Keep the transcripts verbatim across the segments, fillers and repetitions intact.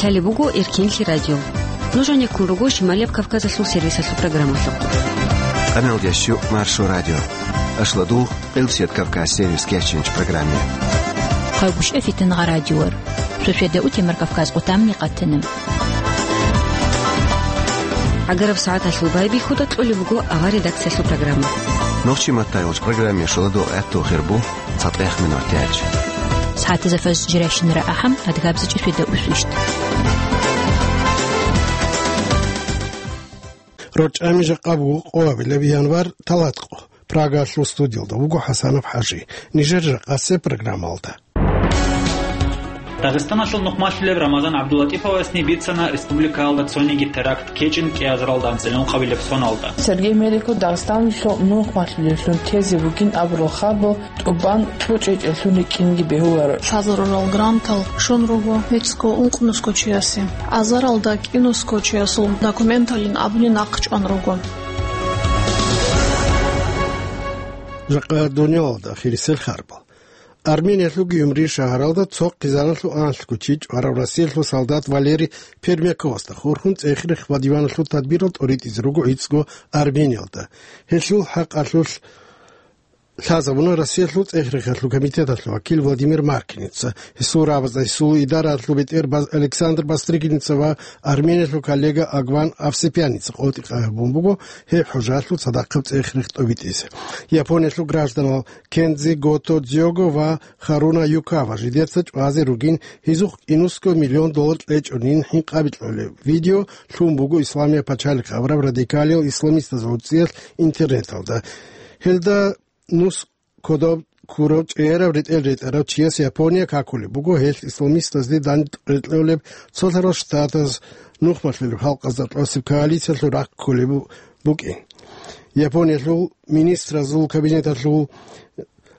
Лъалеб буго Эркенлъи радио. Нуж гьанеккун руго Шималияб Кавказалъул сервисалъул программалъухъ. Къаналдящу Маршо радио. Ашладул, Къилсият Кавказ сервис кечинч программе. Хъагушев Фитнагъа радиор. Сосиада утемар Кавказ къутамни къатана. Агараб сагӀаталъул байбихьуда кьолеб буго авар редакциялъул программа. Нохчи маттайолч программе шоладо гӀатту хирбу. ЦатӀех минут тяч. СагӀатазда фаз жиращинара ахӀам, адгабзачӀи светда усвищт. РорчӀами жакъа буго къоабилеб январь талатӀкъо. Прагалъул студиялда вуго ХӀасанов ХӀажи. Нижер жакъасеб программалда. Дагъистаналъул нухмалъулеб Рамазан ГӀабдуллатӀиповасни бицана республикаялда цониги теракт ккечӀин кӀиазаралда анцӀила ункъабилеб соналда. Сергей Меликов Дагъистаналъул нухмалъулевлъун тезе бугин абурал хабал тӀубан тӀучӀечӀеллъун рикӀкӀинги бегьуларо. Лъазарурал грантал щун руго гьецӀго ункънусго чиясе. Азаралда кӀинусго чиясул документалин абуни нахъ чӀван руго. Жакъа дуниялалда ахирисел харбал. Армениялъул Гюмри шагьаралда цо хъизаналъув анлъго чи чӀварав Россиялъул солдат Валерий Пермяковасда хурхун цӀех-рех ва диваналъул тадбирал тӀоритӀизе руго гӀицӀго Армениялда. Гьелъул хӀакъалъулъ лъазабуна Россиялъул цӀех-рехалъул комитеталъул вакил Владимир Маркиница. Гьесул рабазда гьесул идараялъул бетӀер Бас-, Александр Бастрыкиница ва Армениялъул коллега Агван Авсепьяница къотӀи къагьабун буго гьеб хӀужалъул цадахъаб цӀех-рех тӀобитӀизе. Япониялъул гражданал Кензи Гото Дзиого ва Харуна Юкава жидеца чӀвазе ругин гьезухъ кӀинусго миллион доллар кьечӀонин хӀинкъаби кьолеб видео лъун буго Исламияб пачалихъ абураб радикалиял исламистазул гӀурцӀиялъ интернеталда. Гьелда нус кодоб ккурав чӀегӀерав ретӀел ретӀарав чияс Япония какулеб буго гьелъ исламистазде дандекъолеб цолъарал штатаз нухмалъулеб халкъазда тӀасеб коалициялъул рахъ кколеб бу-, букӀин. Япониялъул министразул кабинеталъул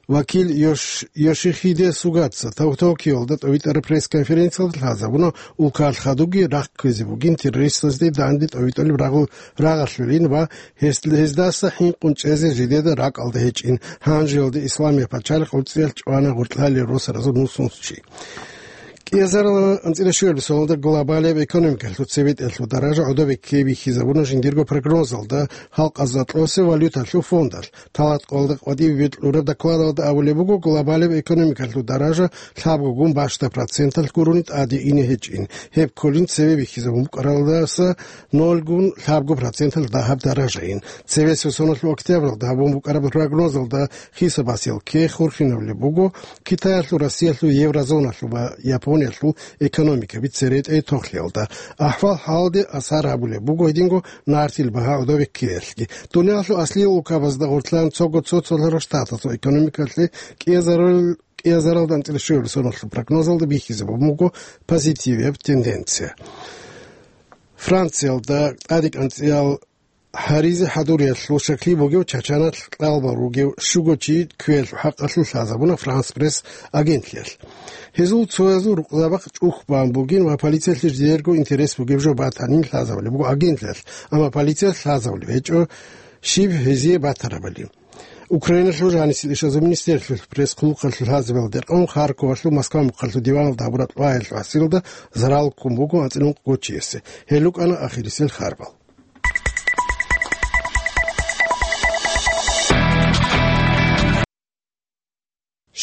вакил Йош-, Йошихиде Сугаца Токиолда тӀовитӀараб пресс-конференциялда лъазабуна улкаялъ хадубги рахъ кквезе бугин террористазде данде тӀовитӀулеб рагъу-, рагъалъулин ва гьес-, гьездаса хӀинкъун чӀезе жидеда ракӀалда гьечӀин, гьанжеялде Исламияб пачалихъ гӀурцӀиялъ чӀвана гъоркьлъалел росаразул нусунс чи. КӀиазарал анцӀила щуялъ соналда глобалияб экономикалъул цебетӀелъул даража гӀодобе ккей бихьизабуна жиндирго прогнозалда, халкъазда тӀосе валюталъул фондалъ. Талат къолда къватӀибе бикьураб докладалда абулеб буго, глобалияб экономикалъул даража лъабгогун бащда проценталъ гурони тӀаде ине гьечӀин. Гьеб кколин цеве бихьизабун букӀаралдаса нолгун лъабго проценталъ дагьаб даражаин. Цевесев соналъул октябралда гьабун букӀараб прогнозалда хисабасел ккей хурхинабулеб буго, Китаялъул, Россиялъул, еврозоналъул ва Япониялъул экономикаби церетӀей тохлъиялда. АхӀвал-хӀалде асар гьабулеб буго гьединго нартил багьа гӀодобе ккеялъги. Дуниялъул аслиял улкабазда гъоркьлъан цого цо-цолъарал штатазул экономикалъе кӀиазарал-, кӀиазаралда анцӀила щуяб соналъул прогнозалда бихьизабун буго позитивияб тенденция. Франциялда тӀадекӀанцӀиял гьаризе хӀадуриялъул щаклъи бугев Чачаналъ кьалбал ругев щуго чи кквеялъул хӀакъалъулъ лъазабуна Франс Пресс агентлъиялъ. Гьезул цоязул рукъзабахъ чӀухь бан бугин ва полициялъе жидерго интерес бугеб жо батанин лъазабулеб буго агентлъиялъ, амма полициялъ лъазабулеб гьечӀо щиб гьезие батарабали. Украиналъул жанисел ишазул министерствоялъул пресс-хъулухъалъул лъазабиялда рекъон Харьковалъул Москва мухъалъул диваналда гьабураб тӀваялъул гьасилда зарал ккун буго анцӀила ункъго чиясе. Гьел рукӀана ахирисел харбал.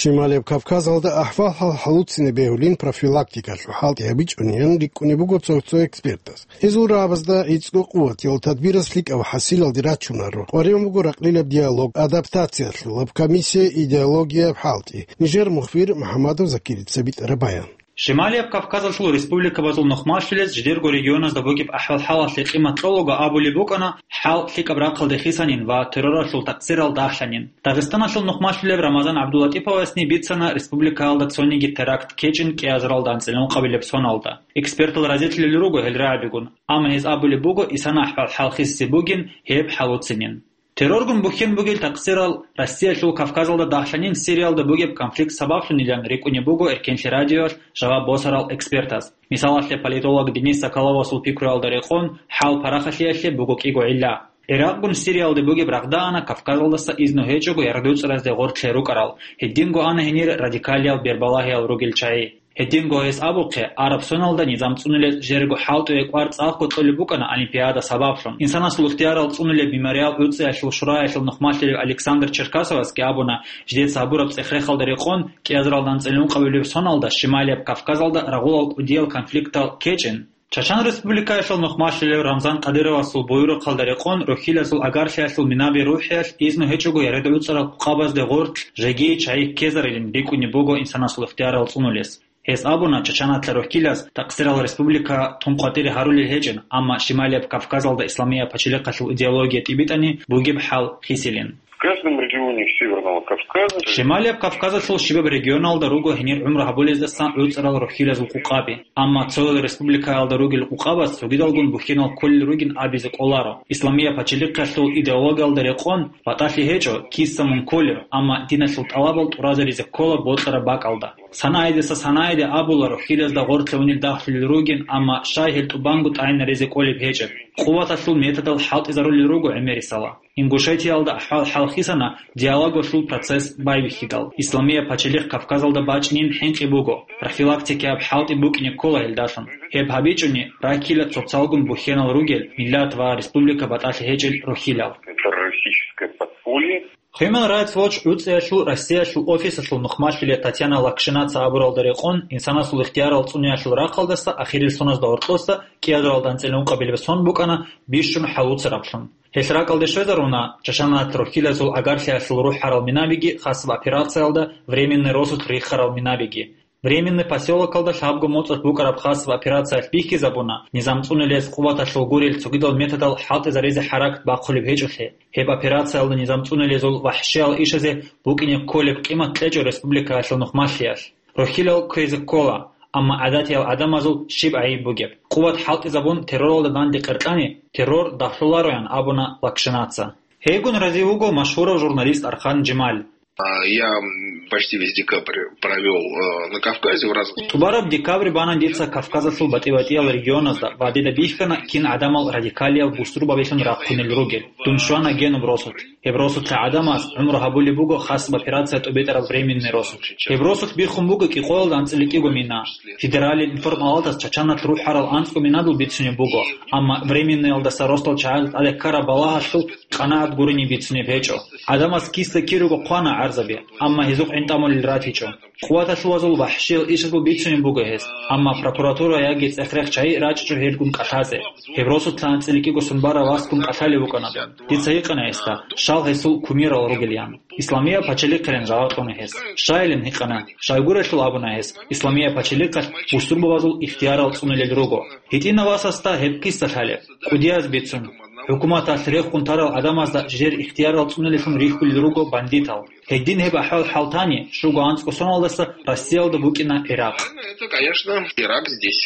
Шималияб Кавказалда ахӀвал-хӀал хӀалуцине бегьулин профилактикалъул хӀалтӀи гьабичӀунеян рикӀкӀунеб буго цо-цо экспертаз. Гьезул рагӀабазда гӀицӀго къуватиял тадбираз лъикӀаб хӀасилалде рачунаро. КъваригӀун буго ракълилаб диалог, адаптациялъулаб комиссия, идеологияб хӀалтӀи. Нижер мухбир МухӀамадов Закирица битӀараб баян. Шималияб Кавказалъул республикабазул нухмалъулез жидерго регионазда бугеб ахӀвал-хӀалалъе къимат кьолаго абулеб букӀана, хӀал лъикӀаб рахъалде хисанин ва терроралъул такъсирал дагьлъанин. Дагъистаналъул нухмалъулеб Рамазан ГӀабдуллатӀиповасни бицана республикаялда цониги теракт ккечӀин кӀиазаралда анцӀила ункъабилеб соналда. Экспертал разилъулел руго гьел рагӀабигун, амма гьез абулеб буго, исана ахӀвал-хӀал хисизе бугин гьеб хӀалуцинин. Терроргун бухьен бугел такъсирал Россиялъул Кавказалда дагьлъанин, Сириялда бугеб конфликт сабаблъунилан рикӀкӀунеб буго Эркенлъи радиоялъ жаваб босарал экспертаз. Мисалалъе, политолог Денис Соколовасул пикруялда рекъон, хӀал парахалъиялъе буго кӀиго гӀилла. Иракъгун Сириялда бугеб рагъда ана Кавказалдаса изну гьечӀого яргъдуцӀаразде гъоркьлъи рукӀарал, гьединго ана гьенир радикалиял бербалагьиял ругел чагӀи. Гьединго гьес абухъе, араб соналда низам цӀунулеб жерго хӀалтӀуе кӀвар цӀакъго кьолеб букӀана Олимпиада сабаблъун. Инсанасул ихтиярал цӀунулеб мемориал гӀуцӀиялъул шураялъул нухмалъулев Александр Черкасовасги абуна, жидеца гьабураб цӀех-рехалда рекъон, кӀиазаралда анцӀила ункъабилеб соналда Шималияб Кавказалда рагъулал кӀудиял конфликтал ккечӀин. Чачан Республикаялъул нухмалъулев Рамзан Кадыровасул буюрухъалда рекъон рухьилазул агарлъиялъул минаби рухӀиялъ изну гьечӀого ярадуцӀарал къукъабазде гъорлъ жеги чагӀи ккезарилин рикӀкӀунеб буго инсанасул ихтиярал цӀунулес. Гьес абуна, чачанатла рухьилаз такъсирал республика тун къватӀире гьарулел гьечӀин, амма Шималияб Кавказалда исламияб пачалихъалъул идеология тӀибитӀани бугеб хӀал хисилин. В каждом регионе Северного Кавказа. Шималияб Кавказалъул щибаб регионалда руго гьенир гӀумру гьабулездасан гӀуцӀарал рухьилазул къукъаби. Амма цоял республикаялда ругел къукъабаз цогидалгун бухьинал кколел ругин абизе кӀоларо. Исламияб пачалихъалъул идеологиялда рекъон батӀалъи гьечӀо, киса мун кколеб, амма диналъул тӀалабал тӀуразаризе ккола бокьараб бакӀалда. Санагьидаса санагьиде абула, рухьилазда гъорлъ гьунил дагьлъулел ругин, амма щай гьел тӀубанго тӀагӀинаризе кӀолеб гьечӀеб. Къуваталъул методал хӀалтӀизарулел руго гӀемерисала. Ингушетиялда ахӀвал-хӀал хисана диалогалъул процесс байбихьидал. Исламияб пачалихъ Кавказалда бачӀинин хӀинкъи буго, профилактикаяб хӀалтӀи букӀине ккола гьелдалъун. Гьеб гьабичӀони, раккила цоцалгун бухьенал ругел миллат ва республика батӀалъи гьечӀел рухьилал. Террористическое подполье. Human Rights Watch гӀуцӀиялъул Россиялъул офисалъул нухмалъуле Татьяна Лакшинаца абуралда рекъон, инсанасул ихтиярал цӀуниялъул рахъалдаса ахирил соназда гьоркьоса кӀиазаралда анцӀила ункъабилеб сон букӀана бищун хӀалуцараблъун. Гьелъ ракӀалде щвезаруна, чачанат рухьилазул агарлъиялъул рухӀарал минабиги хасаб операциялда временный росулъ рихарал минабиги. Временный посёлокалда лъабго моцӀалъ букӀараб хасаб операциялъ бихьизабуна, низам цӀунулес къуваталъул гурел цогидал методал хӀалтӀизаризе хӀаракат бахъулеб гьечӀолъи. Гьеб операциялда низам цӀунулезул вахӀшиял ишазе букӀине кколеб къимат кьечӀо республикаялъул нухмалъиялъ. Рухьилал кквезе ккола, амма гӀадатиял гӀадамазул щиб гӀайиб бугеб? Къуват хӀалтӀизабун терроралда данде къеркьани, террор дагьлъулароян абуна Лакшинаца. Гьейгун разив вуго машгьурав журналист Архан Жемаль. А, я, м, почти весь декабрь провёл, э, на Кавказе в разных. ТӀубараб декабрь бана дица Кавказалъул батӀи-батӀиял регионазда ва дида бихьана, кин гӀадамал радикалиял бусурбабилъун рахъунел ругел. Дун щвана генуб росулъ. Гьеб росулъа гӀадамаз гӀумру гьабулеб буго хасаб операция тӀубитӀараб временный росулъ. Гьеб росулъ биххун буго кӀикъоялда анцӀила кӀиго мина. Федералил информпалатас чачанат рухӀарал анцӀго минадул бицунеб буго, амма временныйалдаса росдал чагӀазда тӀаде ккараб балагьалъул къанагӀат гурони бицунеб гьечӀо. ГӀадамаз киса кируго хъвана гӀарзаби, амма гьезухъ гӀинтӀамулел ратичӀо. Къуваталъувазул вахӀшиял ишазул бицунеб буго гьес, амма прокуратура яги цӀех-рех чагӀи рачӀичӀо гьелгун кӀалъазе. Гьеб росулъа анцӀила кӀиго сон бараб васгун кӀалъалев вукӀана дун. Дица гьикъана гьесда, щал гьесул кумирал ругелъан. Исламияб пачалихъилан жаваб кьуна гьес. Щайилан гьикъана, щайгурелъул абуна гьес, Исламияб пачалихъалъ бусурбабазул ихтиярал цӀунулел руго. ГьитӀинав васасда гьеб киса лъалеб? КӀудияз бицун, хӀукуматалъ рехун тарал гӀадамазда жер ихтиярал цӀунулеллъун рихьулел руго бандитал. Гьедин гьеб ахӀвал-хӀал тани, щуго анцӀго соналдаса Россиялда букӀина Иракъ. Это, конечно, Ирак здесь.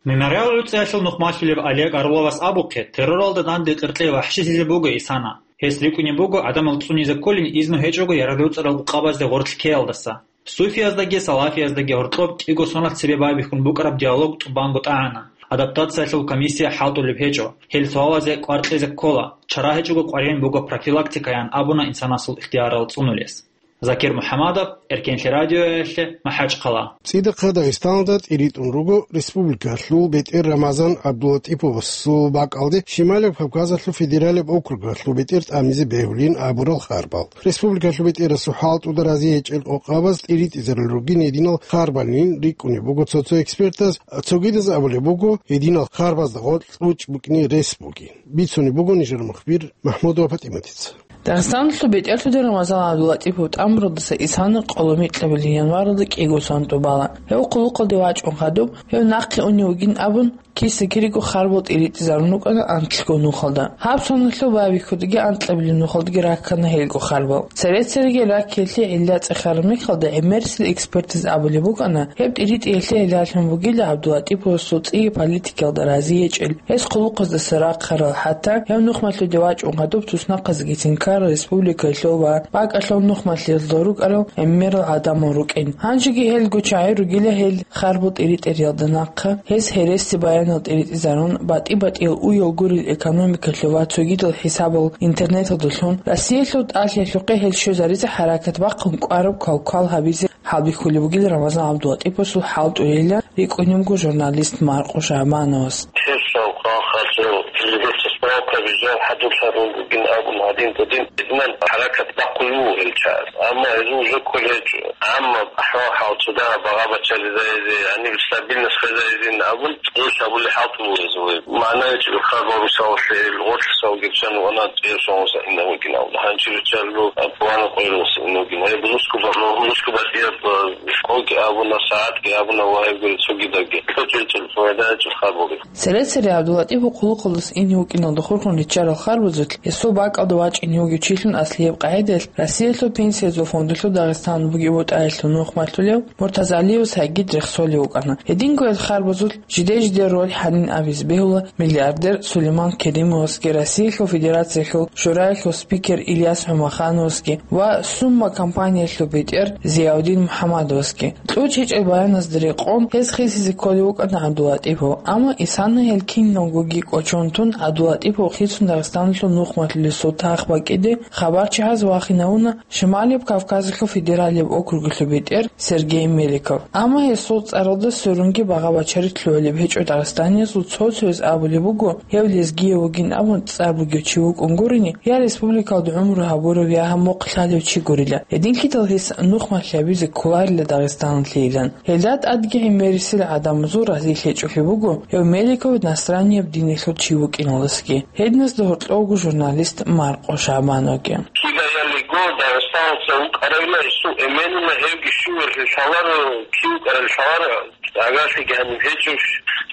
Мемориал гӀуцӀиялъул нухмалъулев Олег Орловас абухъе, терроралда данде къеркьей вахӀшилъизе буго исана. Гьес рикӀкӀунеб буго гӀадамал цӀунизе кколин изну гьечӀого ярадуцӀарал къабазде гъорлъ ккеялдаса. Суфияздаги салафияздаги гьоркьоб кӀиго соналъ цебе байбихьун букӀараб диалог тӀубанго тӀагӀана. Адаптациялъул комиссия хӀалтӀулеб гьечӀо. Гьел суалазе кӀвар кьезе ккола. Чара гьечӀого къваригӀун буго профилактикаян абуна инсанасул ихтиярал цӀунулес. Закир МухӀамадов, Эркенлъи радиоялъе, МахӀачхъала. ЦӀидахъа Дагъистаналда тӀиритӀун руго республикалъул бетӀер Рамазан ГӀабдулатӀиповасул бакӀалде Шималияб Кавказалъул федералияб округалъул бетӀер тӀамизе бегьулин абурал харбал. Республикалъул бетӀерасул хӀалтӀуда разиячӀел къокъабаз тӀиритӀизарал ругин гьединал харбалин рикӀкӀунеб буго цо-цо экспертаз, цогидаз абулеб буго, гьединал харбазда гъоркь кьучӀ букӀине рес бугин. Бицунеб буго нижер мухбир Махмудова ПатӀиматица. Дагъистаналъул бетӀерлъуде Рамазан ГӀабдулатӀипов тӀамуралдаса исана къоло микьабилеб январалда кӀиго сон тӀубала. Гьев хъулухъалде вачӀун хадуб, гьев нахъе унев вугин абун, киса-кириго харбал тӀиритӀизарун рукӀана анлъго нухалда. Гьаб соналъул байбихьудги анкьабилеб нухалдги раккана гьелго харбал. Цере-цереги раккиялъе гӀилла цӀехараб мехалда гӀемерисел экспертаз абулеб букӀана, гьеб тӀиритӀиялъе гӀиллалъун бугила ГӀабдулатӀиповасул цӀи политикаялда разиячӀел. Гьес хъулухъаздаса рахъарал, хӀатта гьев нухмалъуде вачӀун гьадуб туснахъазеги тинкарал республикалъул ва бакӀалъул нухмалъиялда рукӀарал гӀемерал гӀадамал рукӀин. Гьанжеги гьелго чагӀи ругила гьел харбал тӀиритӀиялда нахъа, гьез гьереси баянал тӀиритӀизарун, батӀи-батӀиял уял гурел экономикалъул ва цогидал хӀисабал интернеталдалъун, Россиялъул тӀалъиялъухъе гьел щвезаризе хӀаракат бахъун кӀвараб квалквал гьабизе хӀалбихьулеб бугел Рамазан ГӀабдулатӀиповасул хӀалтӀулелилан рикӀкӀунеб буго журналист Маркъо Шагьбановас. Гьесул хъалхъалъув телевизоралъ справка бижараб хӀадурлъарун бугин абун гьадин-гьудин изман хӀаракат бахъулев вуго гьел чагӀаз. Амма гьезул уже кколеб гьечӀо. Амма ахӀвал-хӀал цо дагьаб багъа-бачаризаризе, гьаниб стабильность хвезаризин абун, цӀуш абулеб хӀалтӀулел гьезул. МагӀна гьечӀеб хабар, мисалалъе, гъорлъ савги чан вана цӀияб соналъ инев вукӀин абун. Гьанже риччалъул план къойилъ инев вукӀин. Гьеб нусго ба-, нусго батӀияб, э, къоги абуна, сагӀатги абуна ва гьеб гури цогидабги. КьучӀел-чӀел пайда гьечӀеб хабари. Цере-цере ГӀабдулатӀипов хъулухъалдаса ине вукӀиналда хурхун риччарал харбазулъ гьесул бакӀалда вачӀине вугев чилъун аслияб къагӀидаялъ Россиялъул пенсиязул фондалъул Дагъистаналда бугеб бутӀаялъул нухмалъулев Муртазалиевас гьагид рехсолев вукӀана. Гьединго гьел харбазулъ жиде-жиде роль гьанин абизе бегьула миллиардер Сулейман Керимовасги, Россиялъул Федерациялъул Шураялъул спикер Ильяс ГӀумахановасги ва Сумма компаниялъул бетӀер Зияудин МухӀаммадовасги. КьучӀ гьечӀел баяназда рекъон, гьез хисизе кколев вукӀана ГӀабдулатӀипов, амма исана гьел киналгоги кӀочон тун, ГӀабдулатӀипов хицун Дагъистаналъул нухмалъулесул тах бакӀиде хабарчи гьаз вахинавуна Шималияб Кавказалъул федералияб округалъул бетӀер Сергей Меликов. Амма гьесул цӀаралда сверунги багъа-бачари лъугӀулеб гьечӀо дагъистаниязул цо-цояз абулеб буго, гьев лезгияв вугин абун цӀар бугев чи вукӀун гурони, я республикалда гӀумру гьабурав, я гьаммухъ лъалев чи гурила. Гьединлъидал гьес нухмалъи гьабизе кколарила Дагъистаналъейилан. Гьелда тӀадги гӀемерисел гӀадамазул разилъи гьечӀолъи буго гьев Меликов настранияб диналъул чи вукӀиналдасаги. Гьединазда гьоркьовго журналист Маркъо Шагьбановги. Кидаялиго Дагъистаналъа вукӀарайила гьесул эменила, гьевги щивелъи лъаларо, кив вукӀарали лъаларо, агарлъиги гьаниб гьечӀо,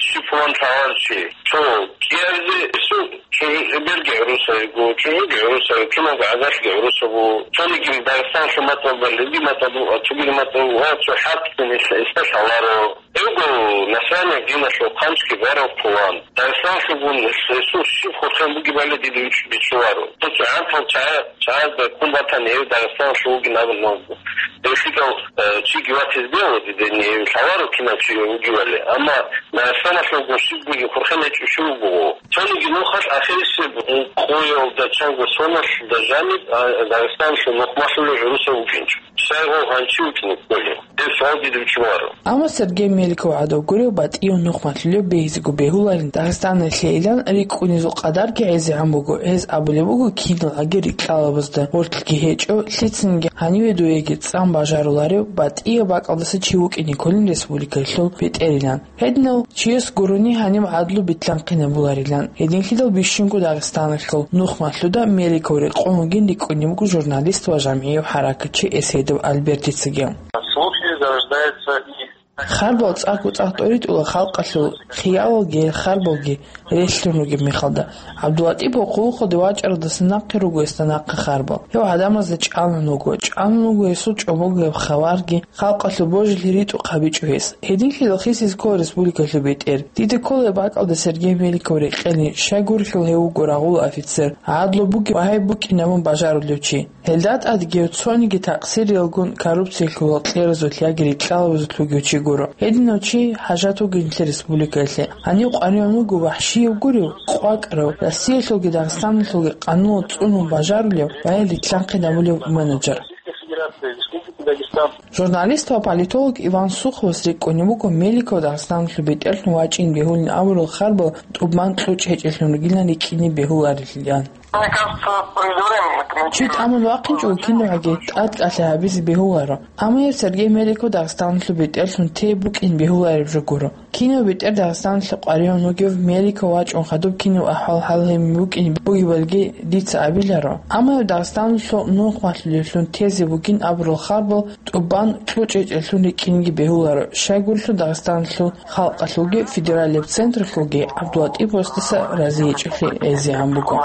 щиб пулан лъаларо чи. Цо кӀиабизе гьесул чӀужу-, эбелги гӀурусавиго, чӀужуги гӀурусави, киналго агарлъиги гӀурусаво, цониги Дагъистаналъул матӀалъ, лезги матӀалъ, цогидал матӀалъ ва цо хӀакъ гьесда лъаларо. Эго, наслание диналъул хъанчги барав пулан. Дагъистаналъугун гьесул щиб хурхен бугебали дида вич-, бичӀчӀуларо. Цо-цо гӀантал чагӀа-, чагӀазда ккун батани, гьев Дагъистаналъув вугин абун, гьев лъикӀав, э, чиги ватизе бегьула дида, гьев лъаларо кинав чи вугевали. Амма Дагъистаналъугун щиб бугеб хурхен гьечӀо чи вуго. Цониги нухалъ ахирисеб къоялда чанго соналъ жаниб, а, Дагъистаналъул нухмалъулев гӀурусав вукӀинчӀо. Щайгъов гьанчи вукӀине кколев? Гьеб суал дида вичӀчӀуларо. Амма Сергей Меликов гӀадав гурев батӀияв нухмалъулев бегьизего бегьуларин Дагъистаналъейилан рикӀкӀунезул къадарги гӀезегӀан буго. Гьез абулеб буго, киналги рикьалабазда гъорлъги гьечӀо, лъицанги гьаниве дуеги цӀан бажаруларев батӀияб бакӀалдаса чи вукӀине кколин республикалъул бетӀерилан. Гьединав чияс гурони гьаниб гӀадлу битлъанхъинабуларилан. Гьединлъидал бищунго Дагъистаналъул нухмалъуда Меликов рекъон вугин рикӀкӀунеб буго журналист ва жамгӀияв хӀаракатчи Эсейдов Альбертицаги. Слухи зарождаются и... Харбал цӀакъго-цӀакъ тӀоритӀула халкъалъул хиялалги гьел харбалги релълъун ругеб мехалда. ГӀабдулатӀипов хъулухъалде вачӀаралдаса нахъе руго гьесда нахъа харбал. Гьев гӀадамазда чӀалун вуго, чӀалун вуго гьесул чӀобогояб хабарги, халкъалъул божилъи ритӀухъ гьабичӀо гьес. Гьединлъидал хисизе ккола республикалъул бетӀер. Дида ккола гьеб бакӀалда Сергей Меликов рекъелин, щайгурелъул гьев вуго рагъул офицер, гӀадлу бугеб ва гьеб букӀин абун бажарулев чи. Гьелда тӀадги гьев цониги такъсириялгун коррупциялъул кьеразулъ яги рикьалабазулъ вугев чи гуро. Гьединав чи хӀажат вугин нилъер республикаялъе. Гьанив къваригӀун вуго вахӀщияв гурев, къвакӀарав, Россиялъулги Дагъистаналъулги къануналда цӀунун бажарулев ва гьел рилълъанхъинабулев менеджер. Журналист ва политолог Иван Суховас рикӀкӀунеб буго Меликов Дагъистаналъул бетӀерлъун вачӀин бегьулин абурал харбал тӀубан кьучӀ гьечӀелъун ругилан рикӀкӀине бегьуларилан. Чи тӀамун вахъинчӀого кинабгӀаги тӀадкӀалъи гьабизе бегьуларо. Амма гьеб Сергей Меликов Дагъистаналъул бетӀерлъун те букӀин бегьулареб жо гуро. Кинав бетӀер Дагъистаналъе къваригӀун вугев, Меликов вачӀун хадуб кинаб ахӀвал-хӀал гьеб букӀин бугебалги дица абиларо. Амма гьеб Дагъистаналъул нухмалъулевлъун тезе бугин абурал харбал тӀубан кьучӀ гьечӀелъун рикӀкӀинеги бегьуларо, щайгурелъул Дагъистаналъул халкъалъулги федералияб централъулги ГӀабдулатӀиповасдаса разиечӀелъи гӀезегӀан буго.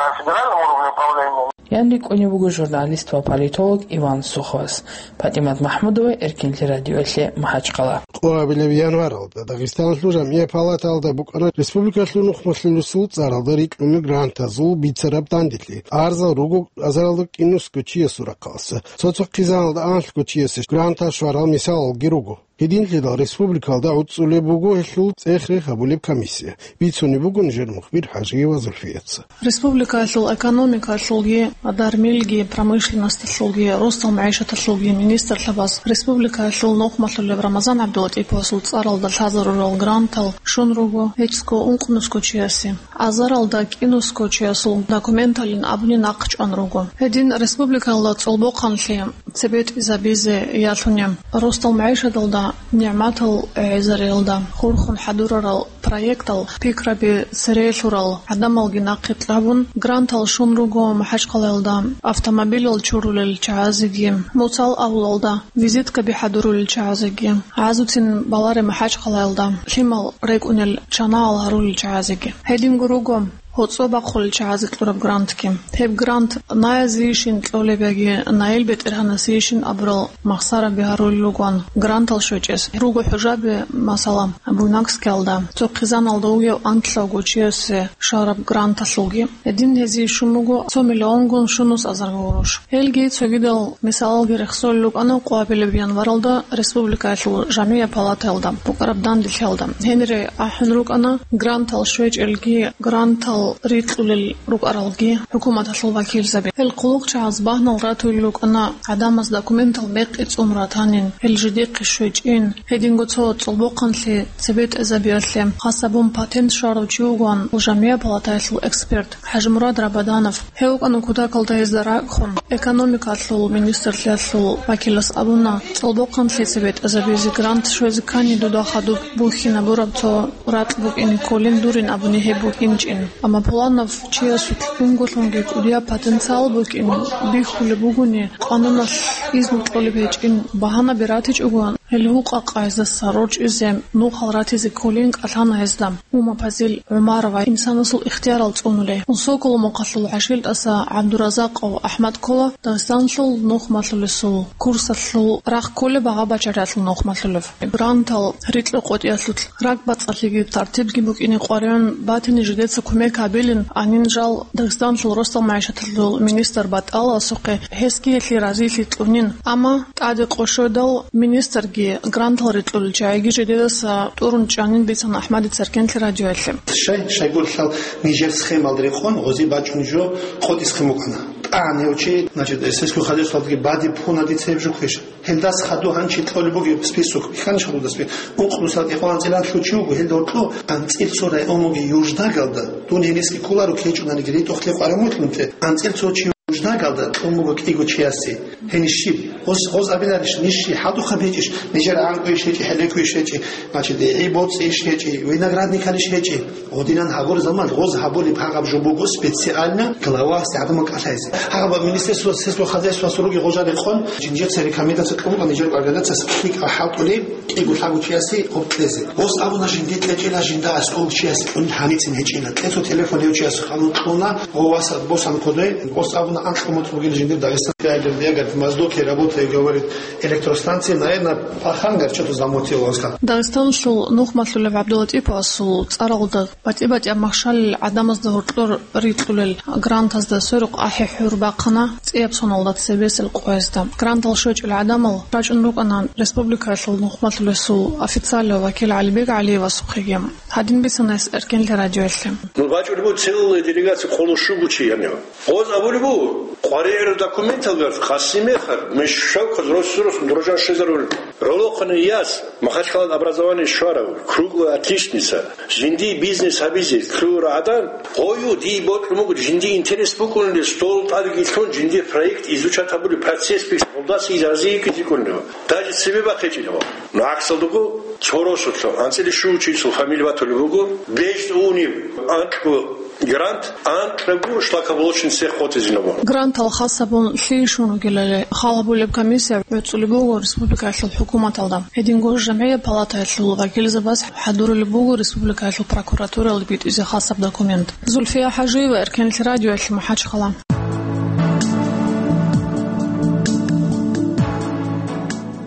Ян рикӀкӀунеб буго журналист ва политолог Иван Суховас. ПатӀимат МахӀмудова, Эркинлъи радиоялъе, МахӀачхъала. Къоабилеб январалда Дагъистаналъул жамгӀият палаталда букӀана республикалъул нухмалъулесул цӀаралда рикӀкӀунел грантазул бицараб данделъи. Арзал руго азаралда кӀинусго чиясул рахъалъа. Цо-цо хъизаналда анлъго чиясе грантал щварал мисалалги руго. Гьединлъидал республикалда гӀуцӀцӀулеб буго гьелъул цӀех-рех гьабулеб комиссия. Бицунеб буго нижер мухбир ХӀажиева Зульфияца. Республикаялъул экономикаялъулги, дармилги, промышленносталъулги, росдал магӀишаталъулги министрлъабаз республикаялъул нухмалъулеб Рамазан ГӀабдулатӀиповасул цӀаралда лъазарурал грантал щун руго гьечӀго ункънусго чиясе. Азаралда кӀинусго чиясул документалин абуни нахъчӀван руго. Гьедин республикаялда цӀолбохъанлъи цебетӀизабизе ялъуни, росдал магӀишаталда нигӀматал гӀезариялда хурхун хӀадурарал проектал пикраби цере лъурал гӀадамалги нахъе кьабун, грантал щун руго МахӀачхъалаялда автомобилал чурулел чагӀазеги, Муцал авлалда визиткаби хӀадурулел чагӀазеги, гӀазуцин баларе МахӀачхъалаялда лъимал рекӀунел чанагӀал гьарулел чагӀазеги. Гьединго руго гьоцӀо бахъулел чагӀазе кьураб грантги. Гьеб грант наязейищин кьолеб яги наил бетӀергьанасейищин абурал махсараби гьарулел ругоан грантал щвечӀес. Руго хӀужаби, масала, Буйнакскиялда, цо хъизаналда вугев анлъавго чиясе щвараб гранталъулги. Гьедин гьезие щун буго цо миллионгун щунус азарго гъурущ. Гьелги цогидал мисалалги рехсолел рукӀана къвабилеб январалда республикаялъул жамгӀияб палатаялда букӀараб данделъиялда. Гьенире ахӀун рукӀана грантал щвечӀелги, грантал рикьулел рукӀаралги хӀукуматалъул вакилзаби. Гьел хъулухъчагӀаз багьнал ратулел рукӀана гӀадамаз документал мекъи цӀун ратанин, гьел жидехъе щвечӀин. Гьединго цо цӀолбохъанлъи цебетӀезабиялъе хас гьабун патент щварав чи вугоан жамгӀияб палатаялъул эксперт ХӀажимурад Рабаданов. Гьев вукӀана кутакалда гьезда ракӀ хун. Экономикалъул министрлъиялъул вакилас абуна, цӀолбохъанлъи цебетӀезабизе грант щвезе ккани дуда хадуб бухьинабураб цо ракь букӀине кколин дурин абуни гьеб букӀинчӀин. Амма пуланав чиясулъ унголъунги кӀудияб потенциал букӀин бихьулеб бугони, къануналъ изну кьолеб гьечӀин багьанаби ратичӀогоан, гьел гьукъа-къагӀиздаса рорчӀизе нухал ратизе кколин кӀалъана гьезда. Умма Пазил ГӀумарова инсанасул ихтиярал цӀунулей. Соколмухъалъул ГӀашилтӀаса ГӀабдуразакъов АхӀмад ккола Дагъистаналъул нухмалъулесул курсалъул рахъ кколеб багъа-бачаралъул нухмалъулев. Грантал рикьа-къотӀиялъулъ ракӀбацӀцӀалъиги тартибги букӀине къваригӀун батани жидеца кумек гьабилин анин жал Дагъистаналъул росдал магӀишаталъул министр БатӀаласухъе, гьесги гьелъие разилъи кьунин. Амма ТӀаде къо щведал, министрги грантал рикьулел чагӀиги жидедаса тӀурун чӀанин бицана АхӀмадица Эркенлъи радиоялъе. Щай, щайгурелъул нижер схемалда рекъон гъози бачӀун жо къотӀи схем букӀана. ТӀагӀан гьев чи, значит, сельское хозяйствоялдаги бадиб пуна дица гьеб жо кквеша. Гьелдаса хадув гьанчи кьолеб бугеб список, бихьанищ гьаб дуда список? Ункънусал кӀикъоялда анцӀила лъучи вуго, гьелда гьоркьо анцӀила цо район буго Юждагалда. Дун гьениса кколаро ккечӀониги, ритӀухълъи къваригӀун вугилан те. АнцӀила цо чи Юждагалда кьун буго кӀиго чиясе. Гьениб щиб? Гъос, гъос абиларищ, ниж щиб хӀадухъаб гьечӀищ, нижер гӀанкӀуйищ гьечӀи, хӀелекуйищ гьечӀи, значит, гӀи боцӀийищ гьечӀи, виноградникалищ гьечӀи? Гъодинан гьабур заман, гъоз гьабулеб гьагъаб жо буго специально главасде гӀадамал кӀалъайзе. Гьагъаб министерство сельского хозяйствоса руги гъожа рекъон, жинжеца рекомендация кьун буго нижер организацияс лъикӀал хӀалтӀулеб кӀиго-лъабго чиясе гъоб кьезе. Гъос абуна жинди кьечӀила, жинда аскӀов чиясе кьун гьаницин гьечӀила. КьецӀо телефон гьев чияс ханун кьуна, гъо васаб босан кодой, гъос абуна анкьа мутӀ бугил жиндир Дагъистан. Ягер, ягер в Моздоке работает, говорит, электростанция, наверное, пахангар что-то замутил, он сказал. Дагъистаналъул нухмалъулев ГӀабдулатӀиповасул цӀаралда батӀи-батӀияб махщалил гӀадамазда гьоркьор рикьулел грантазда сверухъ ахӀи-хӀур бахъана цӀияб соналда цебесел къоязда. Грантал щвечӀел гӀадамал рачӀун рукӀана республикаялъул нухмалъулесул официальный вакил ГӀалибек ГӀалиевасухъеги. Гьадин бицана гьес Эркенлъи радиоялъе. Ну, бачӀулеб буго целая делегация, къоло щуго чи гьанив. Гъоз абулеб буго, къваригӀел документалда Къасимехъа, мешавхъаз рос-рос дуржан щвезарулел. ГӀолохъанай яс, Махачкалада образование щварав, круглая отличница, жиндие бизнес гьабизе лъугьарав гӀадан, гъою дие бокьун буго, жиндие интерес букӀунеб, стол тӀадеги лъун, жиндир проект изучать гьабулеб, процесс бихьун, гъолдаса разие ккезе кколеб. Даже цебе бахъичӀеб. Ну, гӀаксалдаго, цо росулъ, анцӀила щуго чиясул фамилия батулеб буго, бежцӀ унеб, анкьго грант, анкьго шлакоблочный цех къотӀизабун. Грантал хас гьабун лъие щун ругелали хал гьабулеб комиссия гӀуцӀулеб буго республикаялъул хӀукуматалда. Гьединго жамгӀияб палатаялъул вакилзабаз хӀадурулеб буго республикаялъул прокуратуралде битӀизе хасаб документ. Зульфия ХӀажиева, Эркенлъи радиоялъе, МахӀачхъала.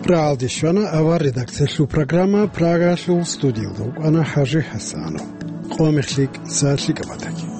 РагӀалде щвана авар редакциялъул программа. Прагалъул студиялда вукӀана ХӀажи ХӀасанов. Къо мехлъи кӀиса лъикӀаб батаги.